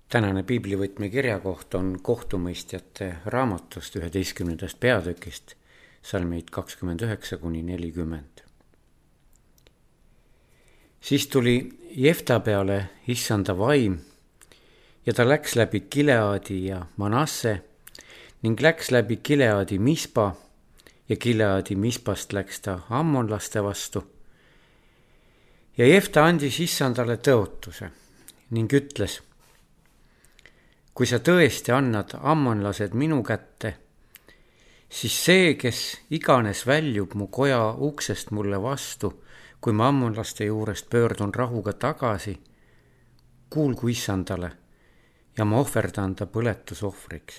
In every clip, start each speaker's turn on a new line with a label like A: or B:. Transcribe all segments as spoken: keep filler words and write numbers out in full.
A: Tänane piiblivõtme kirjakoht on kohtumõistjate raamatust üheteistkümnendast peatükist, salmid kakskümmend üheksa kuni nelikümmend. Siis tuli Jefta peale issanda vaim ja ta läks läbi Gileadi ja Manasse ning läks läbi Gileadi Mispa ja Gileadi Mispast läks ta ammonlaste vastu. Ja Jefta andis issandale tõotuse ning ütles: kui sa tõesti annad ammonlased minu kätte, siis see, kes iganes väljub mu koja uksest mulle vastu, kui ma ammonlaste juurest pöördun rahuga tagasi, kuulgu issandale ja ma ohverdan ta põletusohvriks.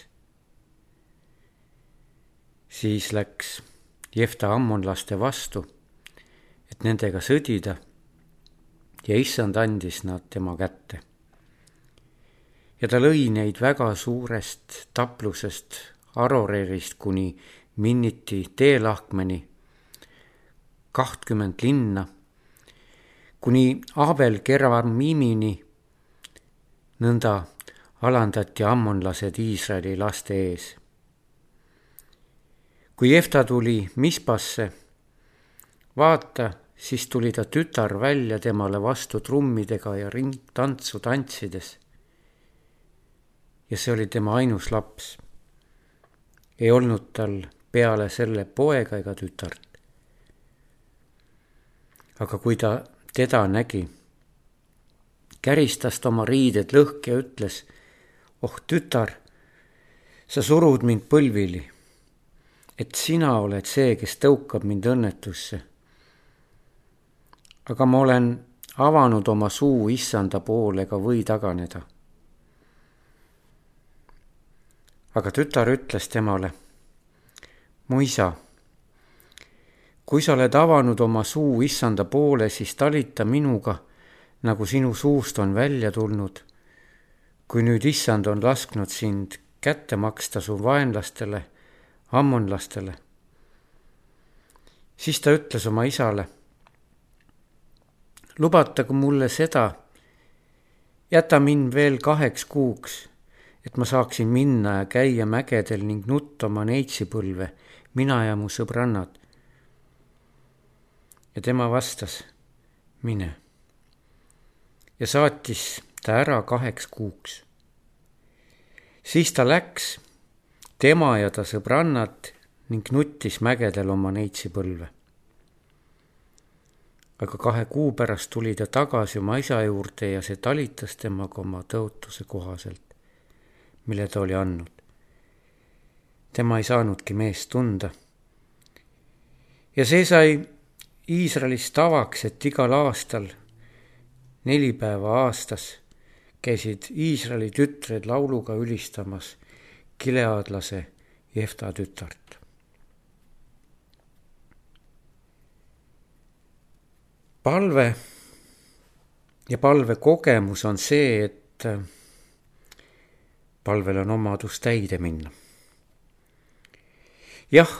A: Siis läks Jefta ammonlaste vastu, et nendega sõdida, ja issand andis nad tema kätte. Ja ta lõi neid väga suurest taplusest Aroreerist kuni Minniti teelahkmeni, kahtkümmend linna, kuni Abel Keramimini, nõnda alandati ammonlased Iisraeli laste ees. Kui Jefta tuli Mispasse, vaata, siis tuli ta tütar välja temale vastu trummidega ja ringtantsu tantsides. Ja see oli tema ainus laps. Ei olnud tal peale selle poega ega tütart. Aga kui ta teda nägi, käristas ta oma riided lõhki ja ütles: oh tütar, sa surud mind põlvili, et sina oled see, kes tõukab mind õnnetusse. Aga ma olen avanud oma suu issanda poole ega või taganeda. Aga tütar ütles temale: mu isa, kui sa oled avanud oma suu issanda poole, siis talita minuga, nagu sinu suust on välja tulnud, kui nüüd issand on lasknud sind kätte maksta su vaenlastele, ammonlastele. Siis ta ütles oma isale: lubatagu mulle seda, jäta mind veel kaheks kuuks, et ma saaksin minna ja käia mägedel ning nutta oma neitsipõlve, mina ja mu sõbrannad. Ja tema vastas: mine. Ja saatis ta ära kaheks kuuks. Siis ta läks, tema ja ta sõbrannad, ning nuttis mägedel oma neitsipõlve. Aga kahe kuu pärast tuli ta tagasi oma isa juurde ja see talitas temaga oma tõotuse kohaselt, mille ta oli andnud. Tema ei saanudki meest tunda. Ja see sai Iisraelis tavaks, et igal aastal, neli päeva aastas, käisid Iisraeli tütred lauluga ülistamas gileadlase Jefta tütart. Palve ja palve kogemus on see, et palvel on omadus täide minna. Jah,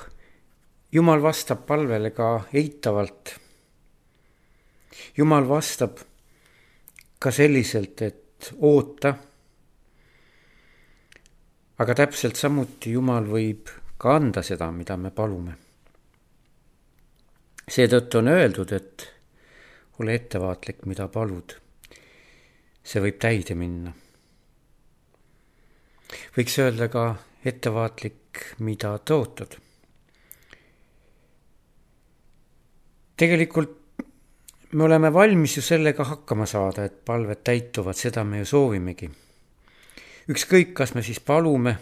A: Jumal vastab palvele ka eitavalt. Jumal vastab ka selliselt, et oota. Aga täpselt samuti Jumal võib ka anda seda, mida me palume. Seetõttu on öeldud, et ole ettevaatlik, mida palud. See võib täide minna. Võiks öelda ka ettevaatlik, mida tõotad. Tegelikult me oleme valmis ju sellega hakkama saada, et palved täituvad, seda me ju soovimegi. Ükskõik, kas me siis palume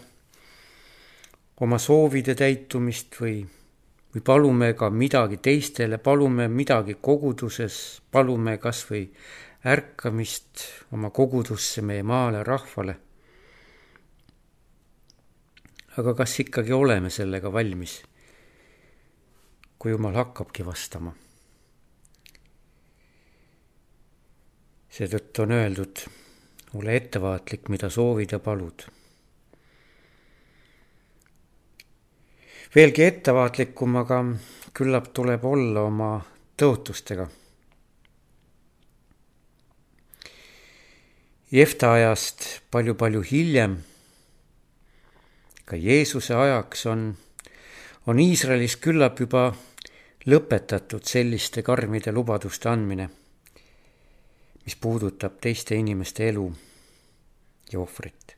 A: oma soovide täitumist või, või palume ka midagi teistele, palume midagi koguduses, palume kas või ärkamist oma kogudusse, meie maale, rahvale. Aga kas ikkagi oleme sellega valmis, kui Jumal hakkabki vastama? Seetõttu on öeldud, ole ettevaatlik, mida soovid ja palud. Veelgi ettevaatlikum, aga küllap tuleb olla oma tõotustega. Jefta ajast palju-palju hiljem, ka Jeesuse ajaks on, on Iisraelis küllap juba lõpetatud selliste karmide lubaduste andmine, mis puudutab teiste inimeste elu ja ohvrit.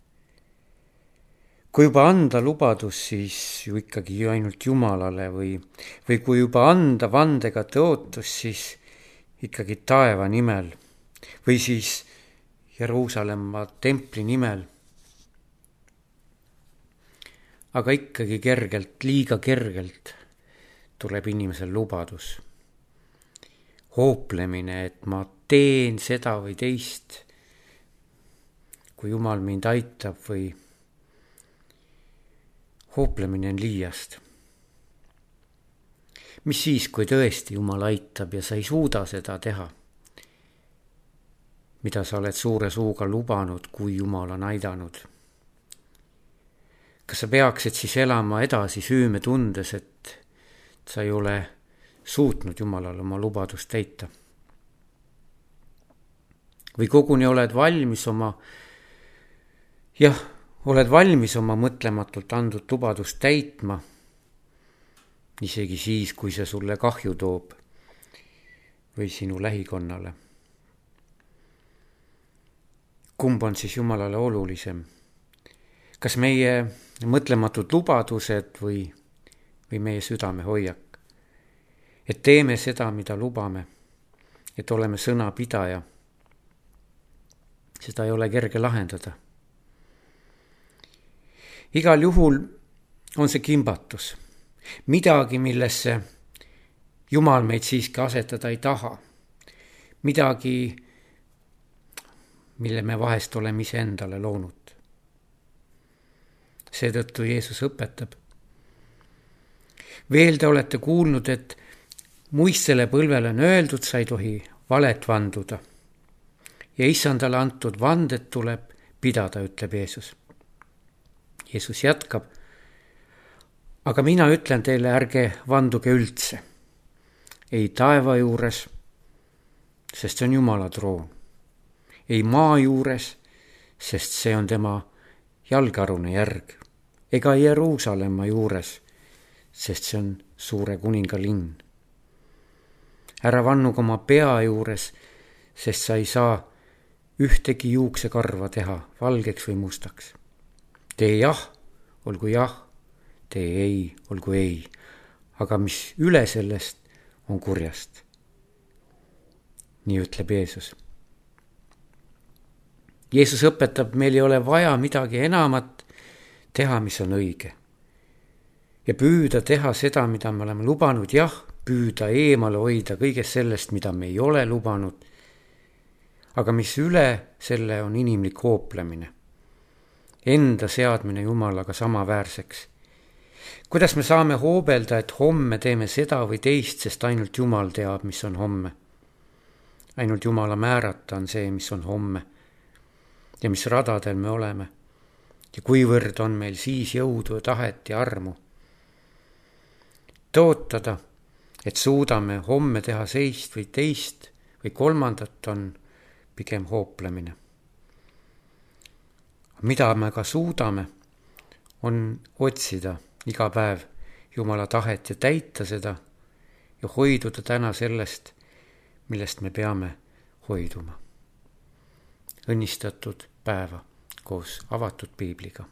A: Kui juba anda lubadus, siis ju ikkagi ju ainult Jumalale või, või kui juba anda vandega tõotus, siis ikkagi taeva nimel või siis Jeruusalemma templi nimel. Aga ikkagi kergelt, liiga kergelt tuleb inimesel lubadus. Hooplemine, et ma teen seda või teist, kui Jumal mind aitab või hooplemine on liiast. Mis siis, kui tõesti Jumal aitab ja sa ei suuda seda teha, mida sa oled suure suuga lubanud, kui Jumal on aidanud? Kas sa peaksid siis elama edasi süüme tundes, et sa ei ole suutnud Jumalale oma lubadust täita? Või koguni oled valmis oma, jah, oled valmis oma mõtlematult andud lubadust täitma, isegi siis, kui see sulle kahju toob või sinu lähikonnale. Kumb on siis Jumalale olulisem? Kas meie mõtlematud lubadused või, või meie südame hoiak? Et teeme seda, mida lubame, et oleme sõnapidaja. Seda ei ole kerge lahendada. Igal juhul on see kimbatus. Midagi, millesse Jumal meid siiski asetada ei taha. Midagi, mille me vahest oleme ise endale loonud. Seetõttu Jeesus õpetab. Veel te olete kuulnud, et muistele põlvele on öeldud, sa ei tohi valet vanduda. Ja issandale antud vandet tuleb pidada, ütleb Jeesus. Jeesus jätkab. Aga mina ütlen teile, ärge vanduge üldse. Ei taeva juures, sest see on Jumala troon. Ei maa juures, sest see on tema jalgealune järg. Ega Jeruusalemma juures, sest see on suure kuninga linn. Ära vannuga oma pea juures, sest sa ei saa ühtegi juuksekarva teha valgeks või mustaks. Tee jah, olgu jah, tee ei, olgu ei. Aga mis üle sellest on kurjast. Nii ütleb Jeesus. Jeesus õpetab, meil ei ole vaja midagi enamat teha, mis on õige. Ja püüda teha seda, mida me oleme lubanud, jah, püüda eemale hoida kõigest sellest, mida me ei ole lubanud. Aga mis üle selle on inimlik hooplemine. Enda seadmine Jumalaga samaväärseks. Kuidas me saame hoobelda, et homme teeme seda või teist, sest ainult Jumal teab, mis on homme. Ainult Jumala määrata on see, mis on homme. Ja mis radadel me oleme. Ja kuivõrd on meil siis jõudu, tahet ja armu. Tootada, et suudame homme teha seist või teist või kolmandat, on pigem hooplemine. Mida me ka suudame, on otsida iga päev Jumala tahet ja täita seda ja hoiduda täna sellest, millest me peame hoiduma. Õnnistatud päeva koos avatud piibliga.